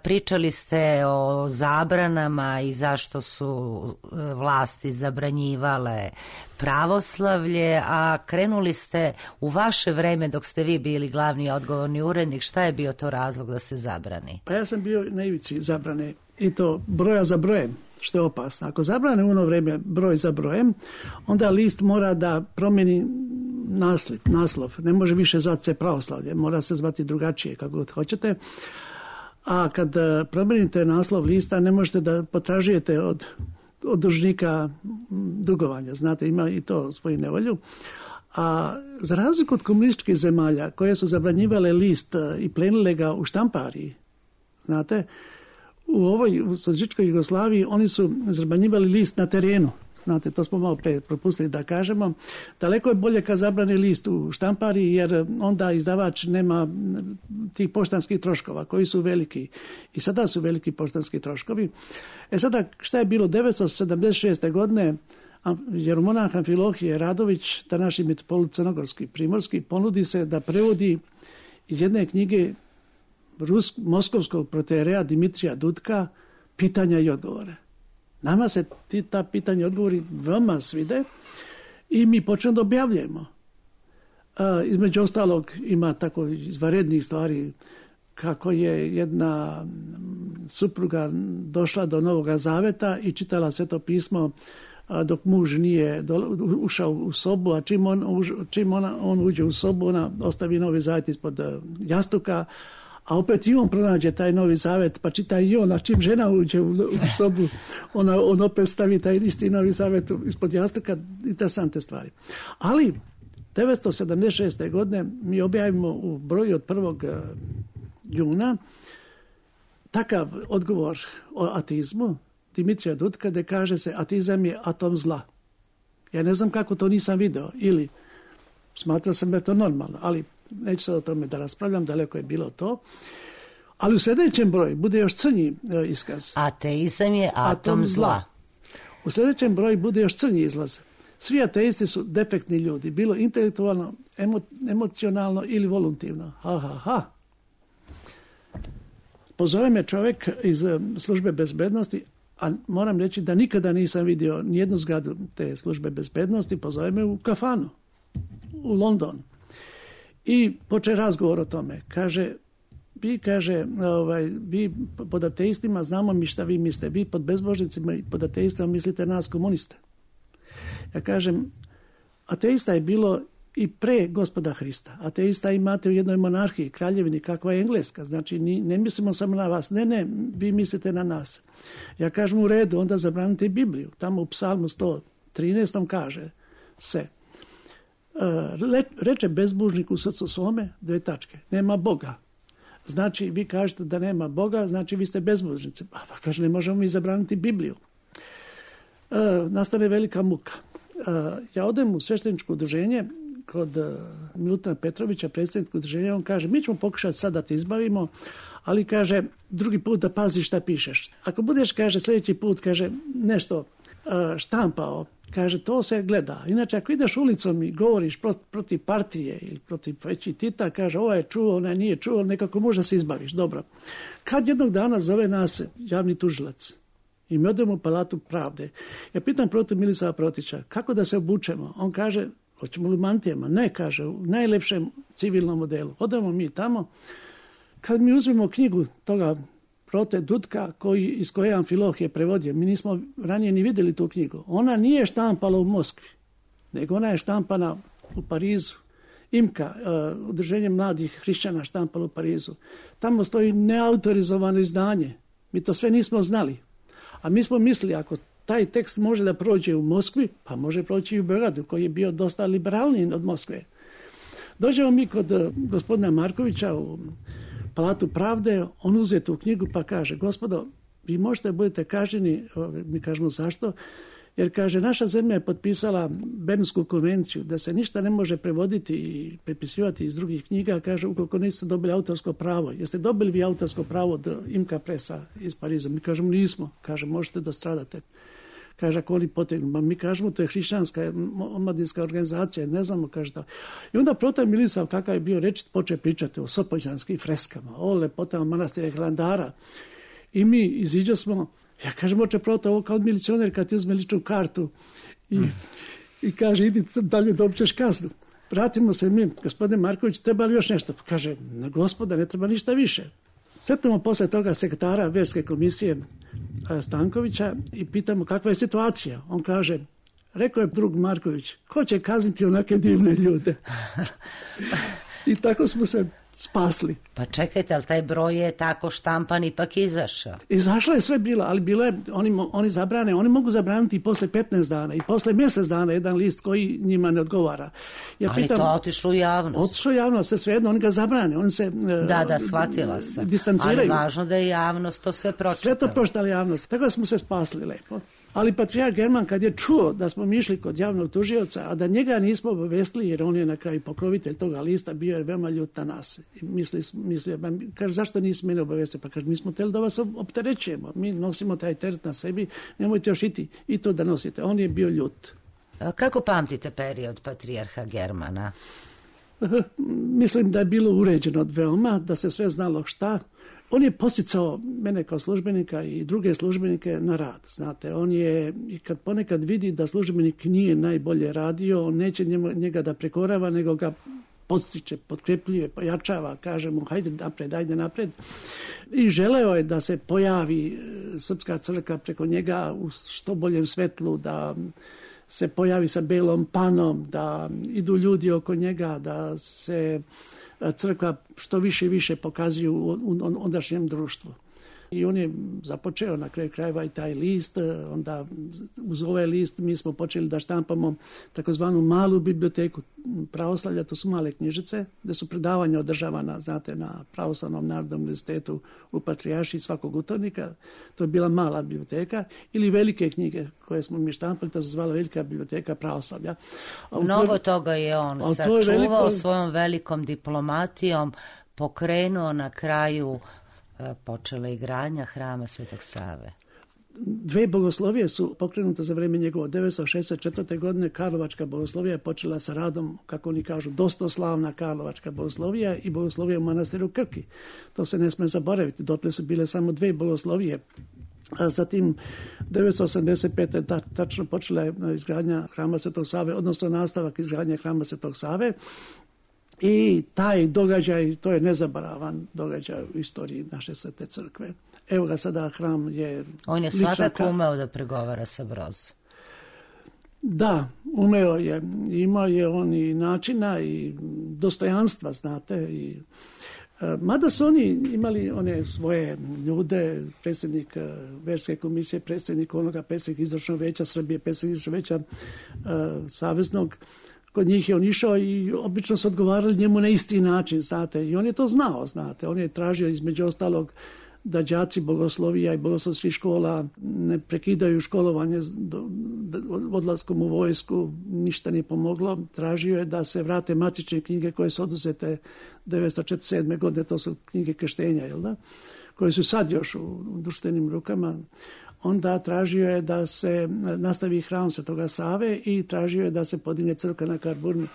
Pričali ste o zabranama i zašto su vlasti zabranjivale pravoslavlje, a krenuli ste u vaše vreme dok ste vi bili glavni odgovorni urednik. Šta je bio to razlog da se zabrani? Pa ja sam bio na ivici zabrane, i to broja za brojem, što je opasno. Ako zabrane u ono vreme broj za brojem, onda list mora da promijeni naslov. Ne može više zvati se Pravoslavlje, mora se zvati drugačije, kako god hoćete. A kad promijenite naslov lista, ne možete da potražujete od dužnika dugovanja. Znate, ima i to svoju nevolju. A za razliku od komunističkih zemalja koje su zabranjivale list i plenile ga u štampariji, znate, u socijalističkoj Jugoslaviji oni su zabranjivali list na terenu. Znate, to smo malo pre propustili da kažemo. Daleko je bolje kad zabrani list u štampariji, jer onda izdavač nema tih poštanskih troškova koji su veliki. I sada su veliki poštanski troškovi. Sada, šta je bilo 1976. godine, jeromonah Amfilohije Radović, današnji mitropolit crnogorski primorski, ponudi se da prevodi iz jedne knjige moskovskog protereja Dimitrija Dudka pitanja i odgovore. Nama se ta pitanja i odgovori veoma svide i mi počnemo da objavljujemo. Između ostalog ima tako izvanrednih stvari, kako je jedna supruga došla do Novoga Zaveta i čitala Sveto pismo dok muž nije ušao u sobu, a čim on uđe u sobu, ona ostavi Novi Zavet ispod jastuka, a opet i on pronađe taj Novi Zavet, pa čita i on, a čim žena uđe u sobu, on opet stavi taj isti Novi Zavet ispod jastuka, interesantne stvari. Ali 1976. godine mi objavimo u broju od 1. juna takav odgovor o ateizmu Dimitrija Dudka, gde kaže se ateizam je atom zla. Ja ne znam kako to nisam video, ili smatrao sam da je to normalno, ali neću sad o tome da raspravljam, daleko je bilo to. Ali u sljedećem broju bude još crnji iskaz. Ateizam je atom zla. U sljedećem broju bude još crnji izlaz. Svi ateisti su defektni ljudi, bilo intelektualno, emocionalno ili voluntivno. Ha. Pozove me čovjek iz službe bezbednosti, a moram reći da nikada nisam vidio nijednu zgradu te službe bezbednosti, pozove me u kafanu u London. I poče razgovor o tome. Vi pod ateistima znamo mi šta vi mislite. Vi pod bezbožnicima i pod ateistima mislite nas komuniste. Ja kažem, ateista je bilo i pre Gospoda Hrista. Ateista imate u jednoj monarhiji, kraljevini, kakva je Engleska. Znači, ne mislimo samo na vas. Ne, vi mislite na nas. Ja kažem, u redu, onda zabranite Bibliju. Tamo u Psalmu 113 kaže se, reče bezbožnik u srcu svome, 2 tačke, nema Boga. Znači, vi kažete da nema Boga, znači vi ste bezbožnici. Pa kaže, ne možemo mi zabraniti Bibliju. Nastane velika muka. Ja odem u svešteničko udruženje kod Milutana Petrovića, predsjednika udruženja, on kaže, mi ćemo pokušati sad da te izbavimo, ali kaže, drugi put da paziš šta pišeš. Ako budeš, kaže, sljedeći put, kaže, nešto štampao, kaže, to se gleda. Inače, ako ideš ulicom i govoriš protiv partije ili protiv veći Tita, kaže, ovaj je čuo, onaj nije čuo, nekako možda se izbaviš. Dobro. Kad jednog dana zove nas javni tužilac i mi odemo u Palatu pravde, ja pitam protiv Milisava Protića, kako da se obučemo? On kaže, hoćemo li u mantijama? Ne, kaže, u najlepšem civilnom modelu. Odemo mi tamo. Kad mi uzmemo knjigu toga Prote Dudka, iz koje Amfiloh je prevodio, mi nismo ranije ni vidjeli tu knjigu. Ona nije štampala u Moskvi, nego ona je štampana u Parizu. IMKA, udruženje mladih hrišćana, štampalo u Parizu. Tamo stoji neautorizovano izdanje. Mi to sve nismo znali. A mi smo mislili, ako taj tekst može da prođe u Moskvi, pa može proći i u Beogradu, koji je bio dosta liberalniji od Moskve. Dođemo mi kod gospodina Markovića u Palatu pravde, on uze tu knjigu pa kaže, gospodo, vi možete budete kažnjeni, mi kažemo zašto, jer kaže, naša zemlja je potpisala Bernsku konvenciju, da se ništa ne može prevoditi i prepisivati iz drugih knjiga, kaže, ukoliko niste dobili autorsko pravo. Jeste dobili vi autorsko pravo od IMKA Presa iz Pariza? Mi kažemo, nismo. Kaže, možete da stradate. Kaže, ako oni potegnu. Mi kažemo, to je hrišćanska omladinska organizacija, ne znamo, kaže da. I onda Protaj Milisav, kakav je bio rečit, poče pričati o sopoćanskim freskama, o lepotama manastira Hilandara. I mi iziđe smo, ja kažem, oče Protaj, ovo kao milicioner kad ti uzme ličnu kartu i kaže, idi dalje da općeš kaznu. Vratimo se mi, gospodine Marković, treba li još nešto? Kaže, gospoda, ne treba ništa više. Sretamo posle toga sekretara Verske komisije Stankovića i pitamo kakva je situacija. On kaže, rekao je drug Marković, ko će kazniti onake divne ljude? I tako smo se spasli. Pa čekajte, ali taj broj je tako štampan ipak izašao. Izašlo je sve bilo, ali bilo je, oni zabrane, oni mogu zabraniti i posle 15 dana i posle mjesec dana jedan list koji njima ne odgovara. Ali to otišlo u javnost. Otišlo u javnost, svejedno, oni ga zabrane, oni se Da, shvatila sam. distanciraju. Ali važno da je javnost to sve pročitala. Sve to pročitala javnost, tako smo se spasli lepo. Ali patrijarh German kad je čuo da smo mi išli kod javnog tužioca, a da njega nismo obavestili, jer on je na kraju pokrovitelj toga lista, bio je veoma ljut na nas. Mislio, kaže, zašto nisi mene obavestili? Pa kaže, mi smo htjeli da vas opterećujemo, mi nosimo taj teret na sebi, nemojte još i to da nosite. On je bio ljut. Kako pamtite period patrijarha Germana? Mislim da je bilo uređeno veoma, da se sve znalo šta. On je posticao mene kao službenika i druge službenike na rad. Znate, on je, i kad ponekad vidi da službenik nije najbolje radio, on neće njega da prekorava, nego ga podstiče, potkrepljuje, pojačava, kaže mu hajde napred. I želeo je da se pojavi Srpska crkva preko njega u što boljem svetlu, da se pojavi sa belom panom, da idu ljudi oko njega, da se crkva što više i više pokazuju u ondašnjem društvu. I on je započeo na kraju krajeva i taj list, onda uz ovaj list mi smo počeli da štampamo takozvanu malu biblioteku pravoslavlja, to su male knjižice, gde su predavanja održavana, znate, na Pravoslavnom narodnom univerzitetu u Patrijaršiji svakog utornika. To je bila mala biblioteka, ili velike knjige koje smo mi štampali, to se zvala Velika biblioteka pravoslavlja. Mnogo toga je on sačuvao svojom velikom diplomatijom, pokrenuo na kraju. Počela je gradnja hrama Svetog Save. 2 bogoslovije su pokrenute za vreme njegovo. 1964. godine Karlovačka bogoslovija je počela sa radom, kako oni kažu, dostoslavna Karlovačka bogoslovija i bogoslovija u manastiru Krki. To se ne sme zaboraviti. Dotle su bile samo 2 bogoslovije. A zatim 1985. tačno počela je izgradnja hrama Svetog Save, odnosno nastavak izgradnje hrama Svetog Save. I taj događaj, to je nezaboravan događaj u istoriji naše Svete crkve. Evo ga sada, hram je... On je svakako umeo da pregovara sa Brozom. Da, umeo je. Imao je on i načina i dostojanstva, znate. Mada su oni imali one svoje ljude, predsjednik verske komisije, predsjednik izvršnog veća Srbije, predsjednik izvršnog veća saveznog. Kod njih je on išao i obično su odgovarali njemu na isti način, znate. I on je to znao, znate. On je tražio između ostalog da đaci bogoslovija i bogoslovskih škola ne prekidaju školovanje odlaskom u vojsku, ništa nije pomoglo. Tražio je da se vrate matične knjige koje su oduzete 1947. godine, to su knjige krštenja, jel da? Koje su sad još u društvenim rukama. Onda tražio je da se nastavi hram Svetoga Save i tražio je da se podigne crkva na Karburmi.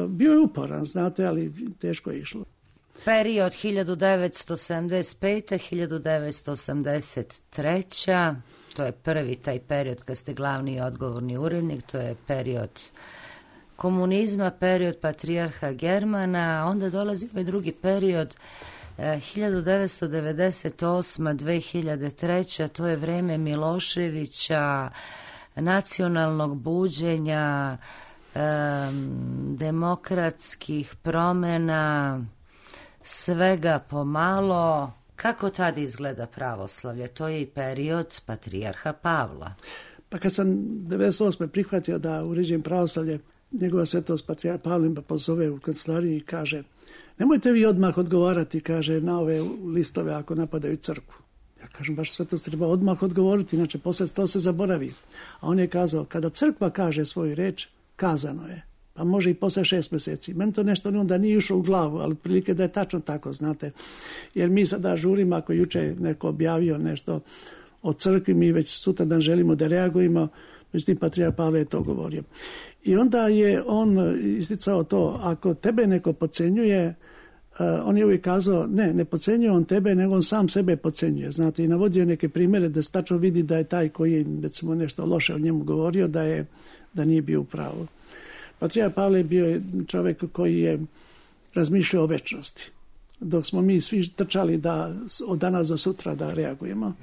Bio je uporan, znate, ali teško je išlo. Period 1975-1983, to je prvi taj period kad ste glavni i odgovorni urednik, to je period komunizma, period patrijarha Germana, onda dolazi ovaj drugi period 1998-2003, to je vreme Miloševića, nacionalnog buđenja, demokratskih promjena, svega pomalo. Kako tada izgleda pravoslavlje? To je i period patrijarha Pavla. Pa kad sam 1998. prihvatio da uređujem pravoslavlje, njegova svetost patrijarh Pavle me pozove u kancelariju i kaže: nemojte vi odmah odgovarati, kaže, na ove listove ako napadaju crkvu. Ja kažem, baš svetost treba odmah odgovoriti, inače posle to se zaboravi. A on je kazao, kada crkva kaže svoju reč, kazano je. Pa može i posle 6 mjeseci. Meni to nešto onda nije ušlo u glavu, ali prilike da je tačno tako, znate. Jer mi sada žurimo, ako juče neko objavio nešto o crkvi, mi već sutra dan želimo da reagujemo, međutim patrijarh Pavle je to govorio. I onda je on isticao to, ako tebe neko podcenjuje, on je uvijek kazao, ne podcenjuje on tebe, nego on sam sebe podcenjuje. Znate, i navodio neke primjere da se tačno vidi da je taj koji je, recimo, nešto loše o njemu govorio, da nije bio u pravu. Patrijarh Pavle bio je čovjek koji je razmišljao o večnosti, dok smo mi svi trčali da od danas do sutra da reagujemo.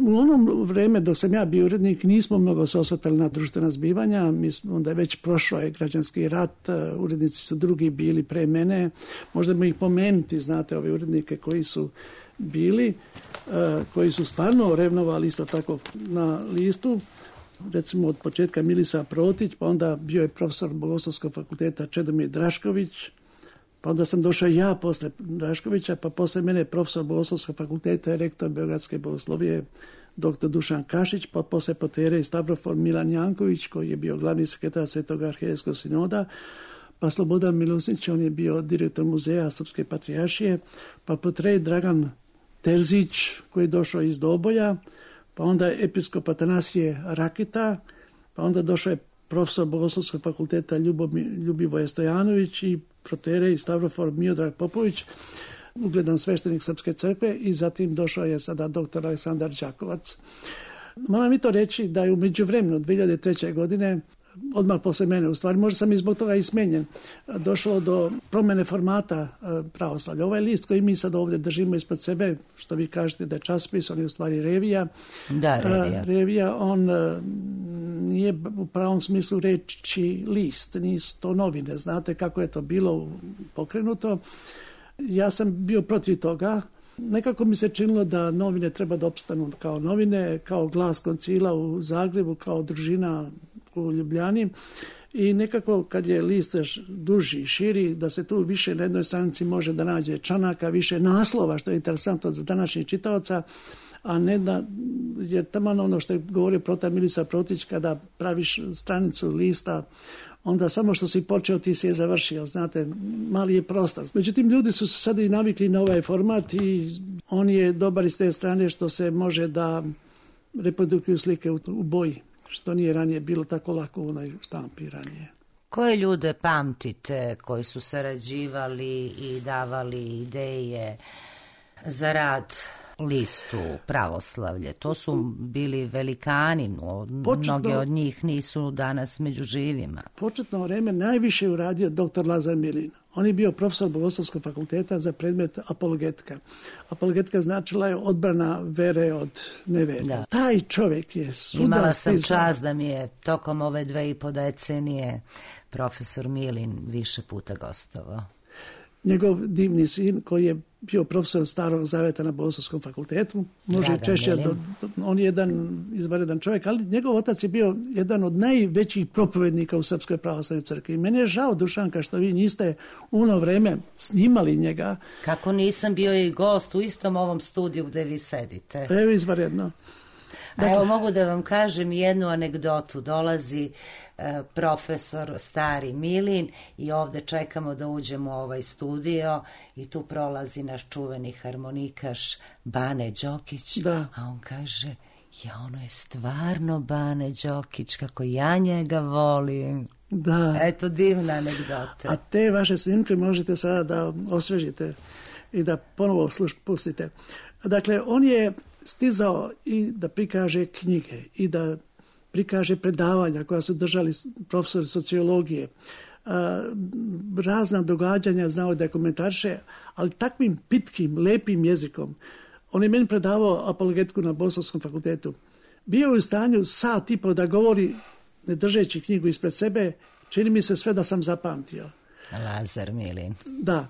U onom vreme dok sam ja bio urednik nismo mnogo se osvrtali na društvena zbivanja, onda je već prošao je građanski rat, urednici su drugi bili pre mene, možda ih pomenuti, znate, ove urednike koji su bili, koji su stvarno revnovali isto tako na listu, recimo od početka Milisa Protić, pa onda bio je profesor Bogoslovskog fakulteta Čedomir Drašković, pa onda sam došao ja posle Draškovića, pa posle mene profesor Bogoslovskog fakulteta i rektor Beogradske bogoslovije dr. Dušan Kašić, pa posle Potere i Stavrofor Milan Janković, koji je bio glavni sekretar Svetog arhijerejskog sinoda, pa Slobodan Milosnić, on je bio direktor muzeja Srpske patrijaršije, pa Potrej Dragan Terzić, koji je došao iz Doboja, pa onda episkop Atanasije Rakita, pa onda došao je profesor Bogoslovskog fakulteta Ljubivoje Stojanović i protere i Stavrofor Miodrag Popović, ugledan sveštenik Srpske crkve, i zatim došao je sada doktor Aleksandar Đakovac. Moram i to reći da je u međuvremenu 2003. godine, odmah posle mene, u stvari možda sam i zbog toga i smenjen, došlo do promjene formata pravoslavlja. Ovaj list koji mi sad ovdje držimo ispred sebe, što vi kažete da je časopis, on je u stvari revija. Da, revija. Revija, on nije u pravom smislu reči list, nisu to novine. Znate kako je to bilo pokrenuto. Ja sam bio protiv toga. Nekako mi se činilo da novine treba da opstanu kao novine, kao Glas koncila u Zagrebu, kao Družina u Ljubljani, i nekako kad je list duži i širi, da se tu više na jednoj stranici može da nađe članaka, više naslova, što je interesantno za današnjih čitaoca, a ne da je taman ono što je govorio protav Milisa Protić, kada praviš stranicu lista, onda samo što si počeo ti si je završio, znate, mali je prostor. Međutim, ljudi su se sada i navikli na ovaj format i on je dobar iz te strane što se može da reprodukuju slike u boji, što nije ranije bilo tako lako u onoj štampi ranije. Koje ljude pamtite koji su sarađivali i davali ideje za rad listu Pravoslavlje? To su bili velikani, mnogi od njih nisu danas među živima. Početno vreme najviše je uradio dr. Lazar Milin. On je bio profesor Bogoslovskog fakulteta za predmet apologetika. Apologetika značila je odbrana vere od nevere. Da. Taj čovjek je svuda Imala sam čast da mi je tokom ove 2,5 decenije profesor Milin više puta gostovao. Njegov divni sin koji je bio profesor Starog zaveta na Bogoslovskom fakultetu, može češće, on je jedan izvanredan čovjek, ali njegov otac je bio jedan od najvećih propovednika u Srpskoj pravoslavnoj crkvi. I meni je žao, Dušanka, što vi niste u ono vreme snimali njega. Kako nisam bio i gost u istom ovom studiju gde vi sedite. Evo, izvanredno. A evo, mogu da vam kažem jednu anegdotu. Dolazi profesor stari Milin i ovde čekamo da uđemo u ovaj studio i tu prolazi naš čuveni harmonikaš Bane Đokić, da. A on kaže, ono je stvarno Bane Đokić, kako ja njega volim. Da. Eto, divna anegdota. A te vaše snimke možete sada da osvežite i da ponovo pustite. Dakle, on je stizao i da prikaže knjige i da prikaže predavanja koja su držali profesori sociologije, razna događanja znao da komentariše, ali takvim pitkim, lepim jezikom. On je meni predavao apologetiku na Bogoslovskom fakultetu. Bio je u stanju sat i po da govori, ne držeći knjigu ispred sebe, čini mi se sve da sam zapamtio. Lazar Milin. Da,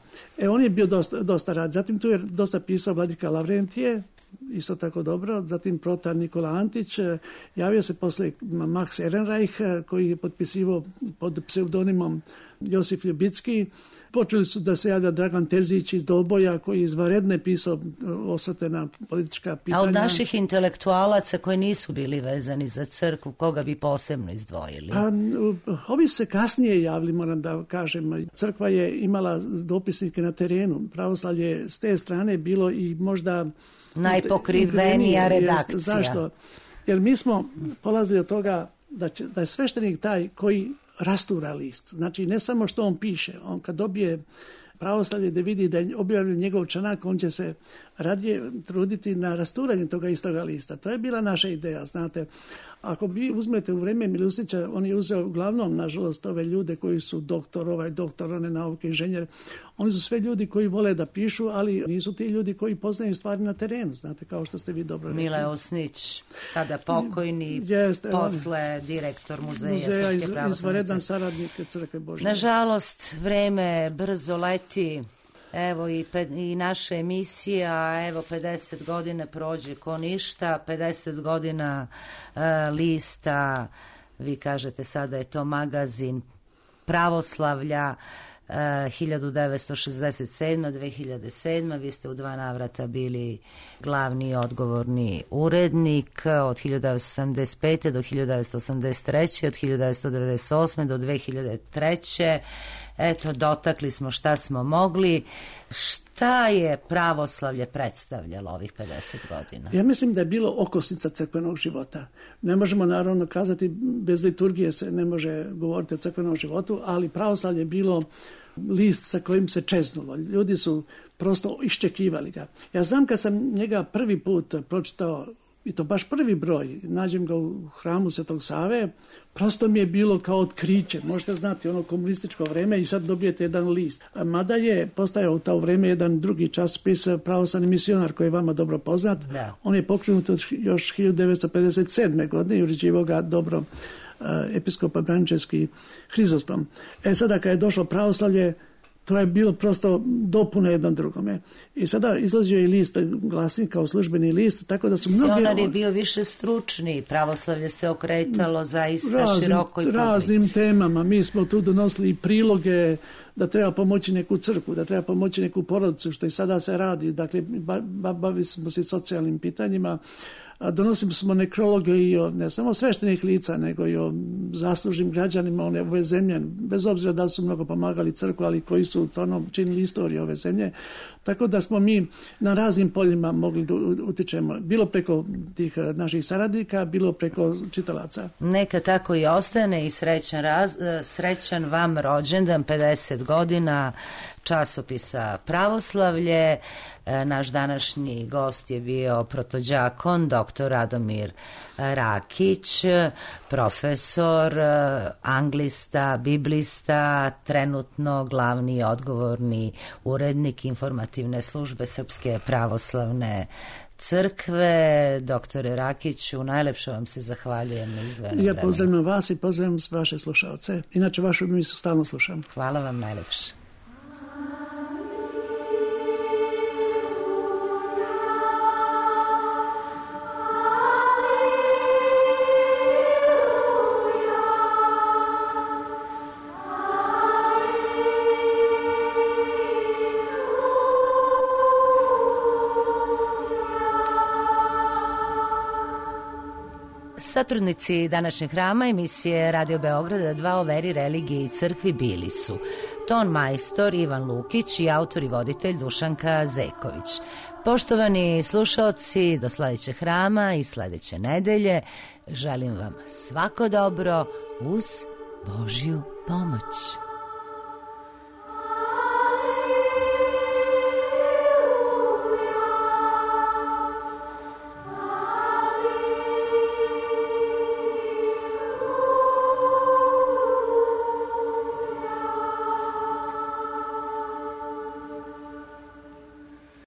on je bio dosta rad. Zatim tu je dosta pisao Vladika Lavrentije, isto tako dobro, zatim protar Nikola Antić, javio se posle Max Ehrenreich koji je potpisivao pod pseudonimom Josif Ljubicki. Počeli su da se javlja Dragan Terzić iz Doboja koji je izvanredne pisao osvrte na politička pitanja. A od naših intelektualaca koji nisu bili vezani za crkvu, koga bi posebno izdvojili? Ovi se kasnije javili, moram da kažem. Crkva je imala dopisnike na terenu. Pravoslavlje s te strane bilo i možda najpokrivenija redakcija. Zašto? Jer mi smo polazili od toga da je sveštenik taj koji rastura list. Znači, ne samo što on piše. On kad dobije pravoslavlje da vidi da je objavljen njegov članak, on će se radije truditi na rasturanju toga istoga lista. To je bila naša ideja, znate. Ako vi uzmete u vrijeme Milusića, on je uzeo uglavnom, nažalost, ove ljude koji su doktor, one nauke, inženjer. Oni su sve ljudi koji vole da pišu, ali nisu ti ljudi koji poznaju stvari na terenu, znate, kao što ste vi dobro rekli. Mile Usnić, sada pokojni, posle direktor Muzeja Srpske pravoslavne izvanredan saradnik Crkve Božje. Nažalost, vreme brzo leti. Evo i naša emisija, evo 50 godina prođe ko ništa, 50 godina lista, vi kažete sada je to magazin pravoslavlja, 1967-2007, vi ste u 2 navrata bili glavni i odgovorni urednik od 1975. do 1983. od 1998. do 2003. Eto, dotakli smo šta smo mogli. Šta je pravoslavlje predstavljalo ovih 50 godina? Ja mislim da je bilo okosnica crkvenog života. Ne možemo naravno kazati, bez liturgije se ne može govoriti o crkvenom životu, ali pravoslavlje je bilo list sa kojim se čeznulo. Ljudi su prosto iščekivali ga. Ja znam kad sam njega prvi put pročitao, i to baš prvi broj, nađem ga u hramu Svetog Save, prosto mi je bilo kao otkriće. Možete znati, ono komunističko vreme i sad dobijete jedan list. Mada je postajao u to vreme jedan drugi časopis, Pravoslavni misionar, koji je vama dobro poznat. Da. On je pokrenut još 1957. godine i uređivao ga dobro episkopa Braničevski Hrizostom. Sada kad je došlo pravoslavlje, to je bilo prosto dopuna jednom drugome. I sada izlazio je list Glasnik kao službeni list, tako da su mnogi... Misionar je bio više stručni, pravoslavlje se okretalo zaista širokoj publici. Raznim temama. Mi smo tu donosili i priloge da treba pomoći neku crkvu, da treba pomoći neku porodicu, što i sada se radi. Dakle, bavili smo se socijalnim pitanjima. Donosimo smo nekrologe i o ne samo sveštenih lica, nego i o zaslužnim građanima ove zemlje, bez obzira da su mnogo pomagali crkvu, ali koji su stvarno činili istoriju ove zemlje. Tako da smo mi na raznim poljima mogli da utičemo, bilo preko tih naših saradnika, bilo preko čitalaca. Neka tako i ostane i srećan vam rođendan, 50 godina časopisa Pravoslavlje. Naš današnji gost je bio protođakon, dr. Radomir Rakić, profesor, anglista, biblista, trenutno glavni i odgovorni urednik informativne službe Srpske pravoslavne crkve. Doktore Rakiću, najlepše vam se zahvaljujem na izdvojenom vremenu. Ja pozdravljam vas i pozdravljam vaše slušalce. Inače, vašu emisiju stalno slušam. Hvala vam najlepše. Satrudnici današnjeg hrama emisije Radio Beograda 2 o veri, religiji i crkvi bili su ton majstor Ivan Lukić i autor i voditelj Dušanka Zeković. Poštovani slušaoci, do sledećeg hrama i sledeće nedelje želim vam svako dobro uz Božju pomoć.